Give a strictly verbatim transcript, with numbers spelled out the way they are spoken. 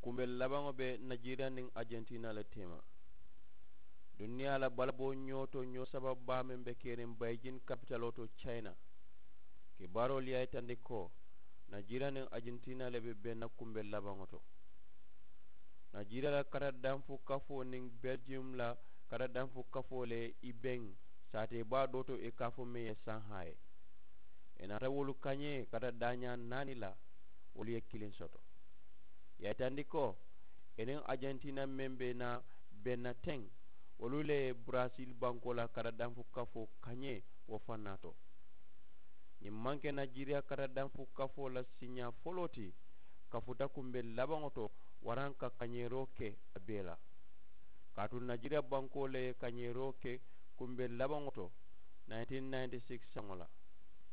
Kumbel labaŋo be najeriya niŋ ajantina le tema. Duniyaa la balaboo ñoo to ñoo saba baa meŋ be keriŋ bayijin kapitaloo to cayina. Kibaaroolu ye a yitandi ko najeriya niŋ ajantina le be benna kumbel labaŋo to. Najeriya la kata danfu kafoo niŋ beljiyum la kata danfu kafoo le i beŋ saatee baa doo to i ka a fo meŋ ye sanhaa ye. I naata wolu kañee kata daañaa naani la. Wolu ye kiliŋ soto. Ye a yitandi ko i niŋ ajantina meŋ be naa benna teŋ wolu le ye buraasil bankoo la kata danfu kafoo kañee wo fannaa to. Ñiŋ maŋ ke najeriya kata danfu kafoo la siiñaa foloo ti. Kafuta kumbel labaŋo to waraŋ ka kañeeroo ke a bee la. Kaatu najeriya bankoo le ye kañeeroo ke kumbel labaŋo to nineteen ninety six saŋo la.